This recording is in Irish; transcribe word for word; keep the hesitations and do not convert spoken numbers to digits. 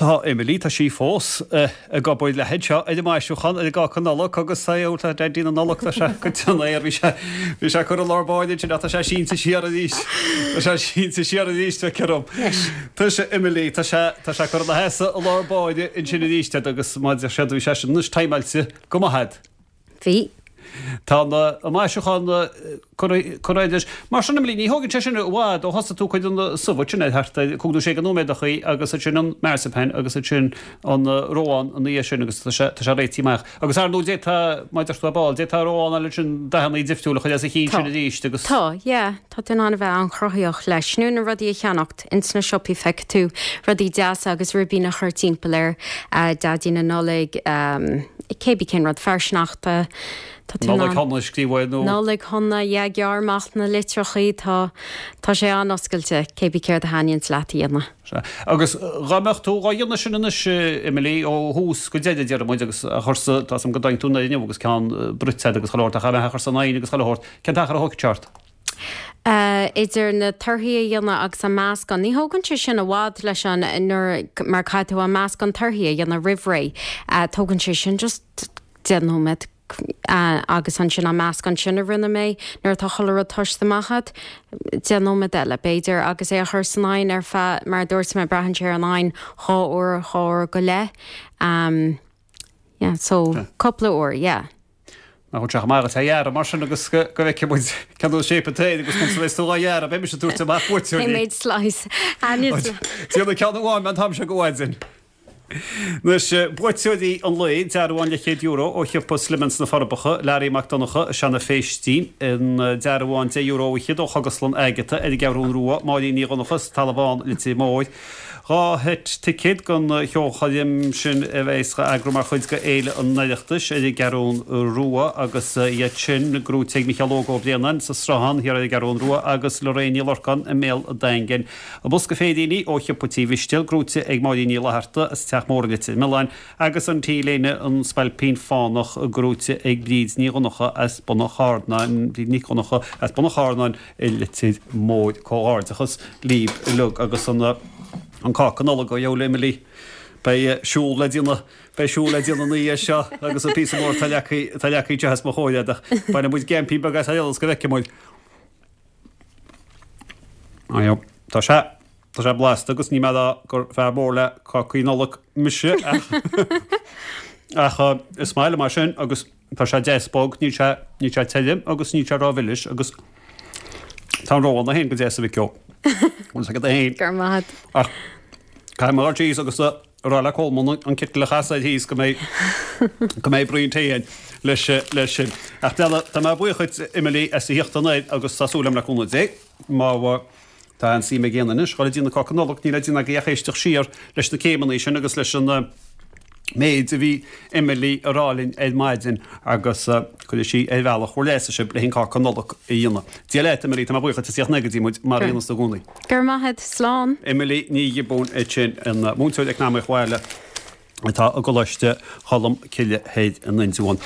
Tá Emily tá sí fós ag obair le seo ar an maisiúchán ar an gcáca Nollag agus tá Daidí na Nollag tá sé go air bhí sé bhí sé chur an lár báide sin tá sé sínte siar arís Tá sé sínte siar arís cerom. Tá sé Emily tá sé tá sé chur na heasa a lár báide ansin arís agus má sé bhí sé sin nus timeáilte go maith. Bhí. Tá an maisiúchán chuir Mar sin Emily ní thógann sé sin i bhfad ó thosaigh tú cuid an subh sin ar thart cúig nó sé go nóiméadachaí agus sin an marzipan agus sin an reoán an í sin agus tá sé réitithe amach. Agus ar ndóigh tá maidir tú ball, dé tá reoán eile sin dathanna difriúla chuid as a chin sin arís agus. Tá, yeah, tá tú in ann a bheith an-chruthaitheach leis. Nó na rudaí a cheannacht ins na siopaí feicfidh tú rudaí deasa agus ribín a chur timpeall air Daidí na Nollag um, cébí cén rud fear sneachta. Nollaig shona scríobh nó Nollaig shona yeah, gearr amach na litreachaí tá tá sé an-oscailte cébí céard a thaitníonns leat a dhéanamh. Agus dá mbeadh tú á dhéanamh sin anois Emily ó thús go deireadh deir muid agus a chursa tá go dain tú inniu agus ceann bruite agus chuile shórt a cha chur san oigheann agus chuile shórt cén t-achar a thógfadh ort. Uh, idir na torthaí a dhéanamh agus an meascán. Ní thógann sé sin i bhfad leis an nuair mar caithfidh tú an meascán torthaí a dhéanamh roimh ré. Uh, tógann sé sin just deich nóiméad uh, agus ansin an meascán sin a rinne mé nuair atá chuile rud tosta amach agat deich nóiméad eile b'fhéidir agus é a chur san oigheann ar feadh mar dúirt mé braitheann sé ar an oigheann dhá uair dhá uair go leith. Um, yeah, so yeah. cúpla uair, yeah. Ná chu mar a dheara mar sin agus go bhfeice muid cean sé té agus chun tú a dheara be se dúirt amach méid slice. Tí cean amháin man tam se go bhhain. Anois buaiteoirí an lae dearbhán leathchéad euro ó shiopa Slimmins na Forbacha, Larry Mac Donncha Seanadh Phéistín an dearbhán deich euro fhichead ó Chógaslann Agatha ar an gCeathrú Rua, Máirín Ní Dhonncha sa Talamh Bán Leitir Móir. Dhá sheit ticéad don cheolchoirm sin a bheas á eagrú mar chuid de Fhéile an Oireachtais ar an gCeathrú Rua agus iad sin gnóthaithe ag Micheál Óg Ó Braonáin sa Sruthán thiar ar an gCeathrú Rua agus Lorraine Ní Lorcáin i mBéal an Daingin. Bosca féiríní ó shiopa Tí Mhistéil gnóthaithe ag Máirín Ní Fhlatharta as Teach Mór i Leitir Mealláin agus an T-léine an Spailpín Fánach gnóthaithe ag Bríd Ní Dhonncha as Bun an Charnáin, Bríd Nic Dhonncha as Bun an Charnáin i Leitir Móir. Comhghairdeachas libh uilig agus an an cáca Nollag ó Yeol Emily. Beidh siúl le déanamh beidh siúl le déanamh ina dhiaidh seo agus an píosa mór tá leagtha tá leagtha anseo os mo chomhair ach bainfidh muid gaimpín beag as ar eolas go bhfeicfidh muid. Ayo, tá sé tá sé blasta agus ní mé gur fear mór le cácaí Nollag mise ach ach is maith liom mar sin agus tá sé deas bog níl sé níl sé tirim agus níl sé rómhilis agus tá an reoán féin go deas a mhic ó. Bhfuil agat féin. Gur maith. Ach caithfidh mé dul síos agus a rá le Colmán an citeal a chasadh thíos go mbeidh go mbeidh braon tae againn leis leis sin. Ach tá mé buíoch dhuit Emily as a theacht anoir agus tá súil agam le cúnamh Dé má tá an suim ag éinne anois dhul ag déanamh cáca Nollag níl le déanamh agaibh ach éisteacht siar leis na céimeanna sin agus leis an méid a bhí Emily a rá linn ar maidin agus cuirfidh sí ar bhealach bhur leasa sibh le an cáca Nollag a dhéanamh. Dia leat Emily, tá mé buíoch as a theacht go dtí muid mar a dhéanas i gcónaí. Go raibh maith agat, slán. Emily Ní Ghiobúin ansin an múinteoir eacnamaíocht bhaile atá i gColáiste Cholm Cille thoir in Indreabhán.